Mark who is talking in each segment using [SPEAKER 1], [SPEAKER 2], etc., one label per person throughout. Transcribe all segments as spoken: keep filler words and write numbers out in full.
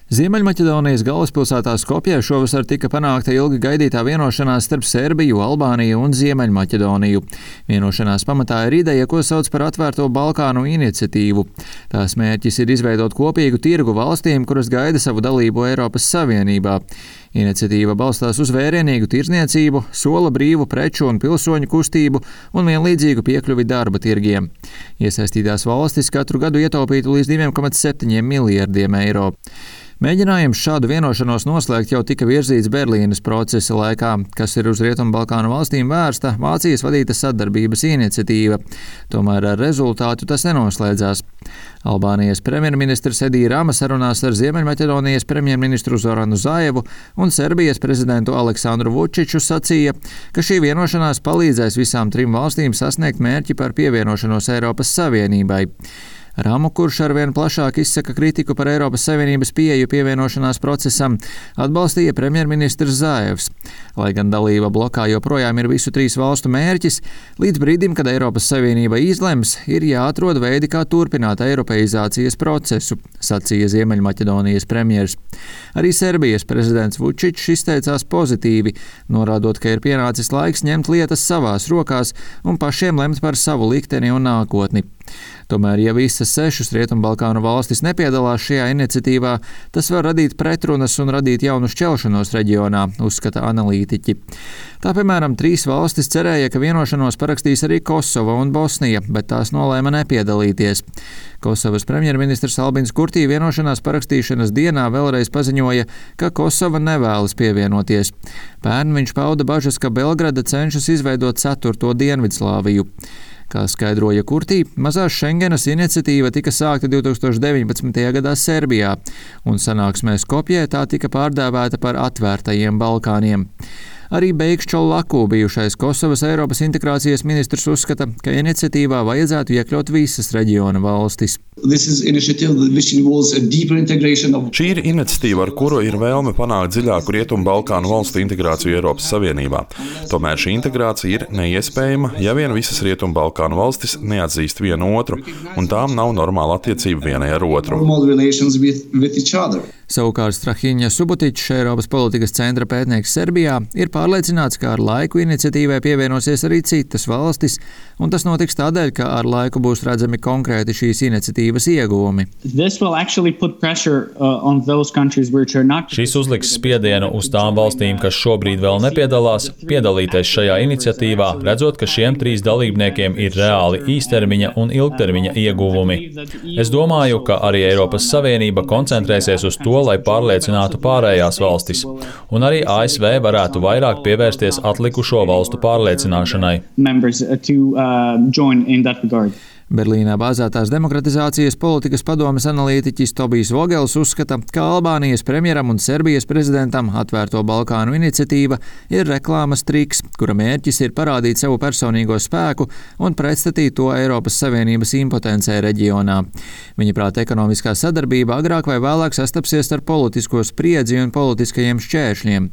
[SPEAKER 1] Ziemeļmaķedonijas galvaspilsētā Skopjē šovasar tika panākta ilgi gaidītā vienošanās starp Serbiju, Albāniju un Ziemeļmaķedoniju. Vienošanās pamatā ir ideja, ko sauc par atvērto Balkānu iniciatīvu. Tās mērķis ir izveidot kopīgu tirgu valstīm, kuras gaida savu dalību Eiropas Savienībā. Iniciatīva balstās uz vērienīgu tirdzniecību, sola brīvu preču un pilsoņu kustību un vienlīdzīgu piekļuvi darba tirgiem. Iesaistītās valstis katru gadu ietaupītu līdz diviem komats septiņiem miljardiem eiro. Mēģinājums šādu vienošanos noslēgt jau tika virzīts Berlīnes procesa laikā, kas ir uz Rietumbalkānu valstīm vērsta Vācijas vadīta sadarbības iniciatīva. Tomēr ar rezultātu tas nenoslēdzās. Albānijas premjerministrs Edija Rama sarunās ar Ziemeļmaķedonijas premjerministru Zoranu Zaevu un Serbijas prezidentu Aleksandru Vučiču sacīja, ka šī vienošanās palīdzēs visām trim valstīm sasniegt mērķi par pievienošanos Eiropas Savienībai. Ramu, kurš arvien plašāk izsaka kritiku par Eiropas Savienības pieeju pievienošanās procesam, atbalstīja premjerministrs Zaevs. Lai gan dalība blokā joprojām ir visu trīs valstu mērķis, līdz brīdim, kad Eiropas Savienība izlems, ir jāatrod veidi, kā turpināt eiropeizācijas procesu, sacīja Ziemeļmaķedonijas premjers. Arī Serbijas prezidents Vučičs izteicās pozitīvi, norādot, ka ir pienācis laiks ņemt lietas savās rokās un pašiem lemt par savu likteni un nākotni. Tomēr, ja visas sešas Rietumbalkānu valstis nepiedalās šajā iniciatīvā, tas var radīt pretrunas un radīt jaunu šķelšanos reģionā, uzskata analītiķi. Tā, piemēram, trīs valstis cerēja, ka vienošanos parakstīs arī Kosova un Bosnija, bet tās nolēma nepiedalīties. Kosovas premjerministrs Albins Kurtī vienošanās parakstīšanas dienā vēlreiz paziņoja, ka Kosova nevēlas pievienoties. Pērn viņš pauda bažas, ka Belgrada cenšas izveidot ceturto Dienvidslāviju. Kā skaidroja Kurtī, mazās Šengenas iniciatīva tika sākta divi tūkstoši deviņpadsmitajā gadā Serbijā, un sanāksmē Skopjē tā tika pārdēvēta par atvērtajiem Balkāniem. Arī Beiks Čolaku, bijušais Kosovas Eiropas integrācijas ministrs, uzskata, ka iniciatīvā vajadzētu iekļaut visas reģiona valstis.
[SPEAKER 2] Šī ir iniciatīva, ar kuru ir vēlme panākt dziļāku Rietumbalkānu valstu integrāciju Eiropas Savienībā. Tomēr šī integrācija ir neiespējama, ja vien visas Rietumbalkānu valstis neatzīst vienu otru, un tām nav normāla attiecība vienai ar otru.
[SPEAKER 1] Savukārt Strahiņa Subotičs, Eiropas politikas centra pētnieks Serbijā, ir pārliecināts, ka ar laiku iniciatīvai pievienosies arī citas valstis, un tas notiks tādēļ, ka ar laiku būs redzami konkrēti šīs iniciatīvas ieguvumi.
[SPEAKER 3] Šis uzliks spiedienu uz tām valstīm, kas šobrīd vēl nepiedalās, piedalīties šajā iniciatīvā, redzot, ka šiem trīs dalībniekiem ir reāli īstermiņa un ilgtermiņa ieguvumi. Es domāju, ka arī Eiropas Savienība koncentrēsies uz to, lai pārliecinātu pārējās valstis, un arī A S V varētu vairāk pievērsties atlikušo valstu pārliecināšanai.
[SPEAKER 1] Berlīnā bāzētās demokratizācijas politikas padomes analītiķis Tobijs Vogels uzskata, ka Albānijas premjeram un Serbijas prezidentam atvērto Balkānu iniciatīva ir reklāmas triks, kura mērķis ir parādīt savu personīgo spēku un pretstatīt to Eiropas Savienības impotencē reģionā. Viņa prāt, ekonomiskā sadarbība agrāk vai vēlāk sastapsies ar politisko spriedzi un politiskajiem šķēršļiem.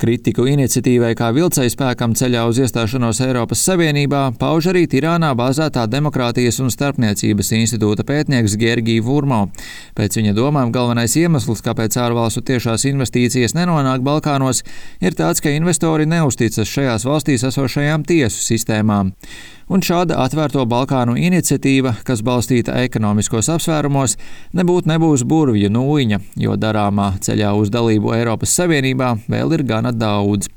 [SPEAKER 1] Kritiku iniciatīvai kā vilcējspēkam ceļā uz iestāšanos Eiropas Savienībā pauž arī Tirānā bāzētā demokrātijas un starpniecības institūta pētnieks Gergij Vurmo. Pēc viņa domām galvenais iemesls, kāpēc ārvalstu tiešās investīcijas nenonāk Balkānos, ir tāds, ka investori neuzticas šajās valstīs esošajām tiesu sistēmām. Un šāda atvērto Balkānu iniciatīva, kas balstīta ekonomiskos apsvērumos, nebūt nebūs burvju nūjiņa, jo darāmā ceļā uz dalību Eiropas Savienībā vēl ir gana daudz.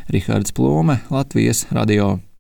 [SPEAKER 1] Rihards Plūme, Latvijas radio.